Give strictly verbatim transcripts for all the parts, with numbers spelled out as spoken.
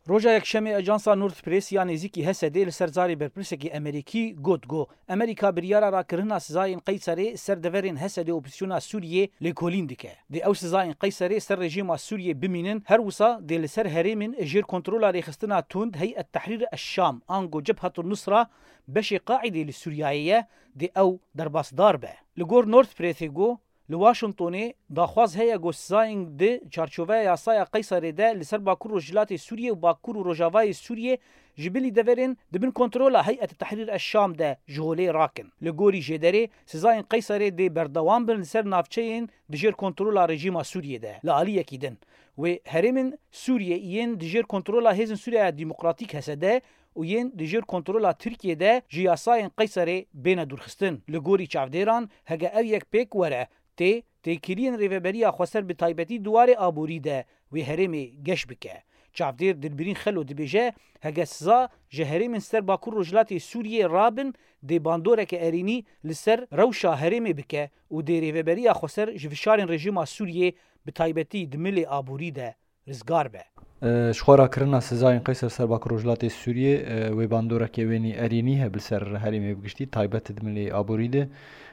Roja Yekşemê Ajansa Nord Press ya nêzîkî Hesedê li ser zarê berpirsekî Amerîkî got ku Amerîka biryara rakirina sizayên Qeyserê ser deverên Hesedê û opozîsyona Sûriyê lêkolîn dike. Dê ew sizayên Qeyserê ser rejîma Sûriyê bimînin, her wisa dê li ser herêmên jêr kontrola rêxistina tund Heyet Tehrîr Eşşam, ango Cebhetul Nusra, beşê Qaîdê li Sûriyeyê ye, dê ew derbasdar be. Li gor Nord Pressê got, li Washingtonê daxwaz heye ku sizayên di çarçoveya yasaya Qeyserê de li ser Bakur Rojhilatê Sûriyê û Bakur û Rojavayê Sûriyê ji bilî deverên di bin kontrola Heyet Tehrîr Eşşam de ji holê rakin. Li gorî jêderê, sizayên Qeyserê dê berdewam bin li ser navçeyên di jêr kontrola rejîma Sûriyê de. Li aliyekî din, wê herêmên Sûriyê yên di jêr kontrola Hêzên Sûriya Demokratîk, H S D, û yên di jêr kontrola Tirkiyê de ji yasayên Qeyserê bêne dûrxistin. Li gorî çavdêran, hege ev yek pêk were, tê têkiliyên Rêveberiya Xweser bi taybetî di warê aborî de wê herêmê geş bike. Çavdêr Dilbirîn Xelo dibêje, hege siza ji herêmên ser Bakur Rojhilatê Sûriyê rabin, dê bandoreke erênî li ser rewşa herêmê bike û dê Rêveberiya Xweser ji fişarên rejîma Sûriyê bi taybetî di milê aborî de rizgar be. E, ji xwe rakirina sizayên Qeyser ser Bakur Rojhilatê Sûriyê, e, wê bandoreke wênî erênî hebe li ser herêmê bi giştî, taybet di milê aborî de.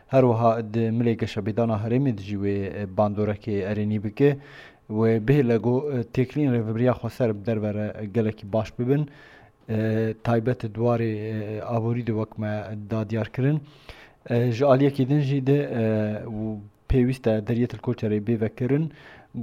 Her wiha di milê geşepêdana herêmê de jî wê, e, bandorekê erênî bike. Wê bihêle ku, e, têkiliyên Rêveberiya Xweser bi derve re gelekî baş bibin. E, taybet di warê, e, aborî de wek me da diyar kirin. E, ji aliyekî din jî de, e, û pêwîst e deriyê til Koçerê bê vekirin,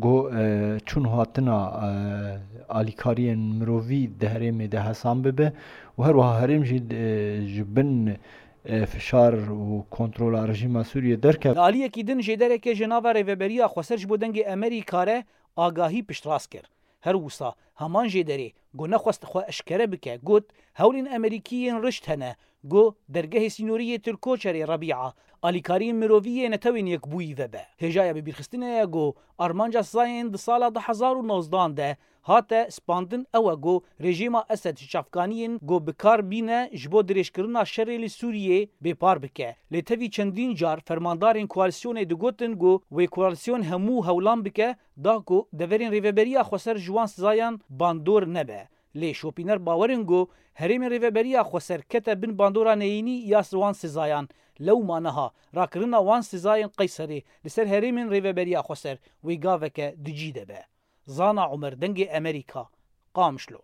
ku, e, çûn hatina, e, alîkariyên mirovî di herêmê de hesan bibe û her wiha herêm jî, e, ji bin, e, fişar û kontrola rejîma Sûriyê derkeve. Li aliyekî din jêdereke ji nava Rêveberiya Xweser ji bo Dengê Amerîka re agahî piştrast kir. Her wisa heman jêderê ku nexwest xwe eşkere bike, got, hewlên Amerîkî yên rişt hene ku dergehê sînorî yê Tirkoçerê Rebîa alîkariyên mirovî yê Netewên Yekbûyî vebe. Hêjaya bibîrxistinê ye ku armanca sizayên di sala du hezar û nozdan de hate spandin ew e ku rejîma Esed ji çavkaniyên ku bi kar bîne ji bo dirêjkirina şerê li Sûriyê bêpar bike. Lê tevî çendîn car fermandarên koalîsyonê digotin ku wê koalîsyon hemû hewlan bike da ku deverên Rêveberiya Xweser ji wan sizayan bandor nebe. Lê şopîner bawer in ku herêmên Rêveberiya Xweser kete bin bandora neyînî ya wan sizayan. Lewma niha rakirina wan sizayên Qeyserê li ser herêmên Rêveberiya Xweser wê gaveke di cî de be. Zana Umer, Dengê Amerîka, Qamişlo.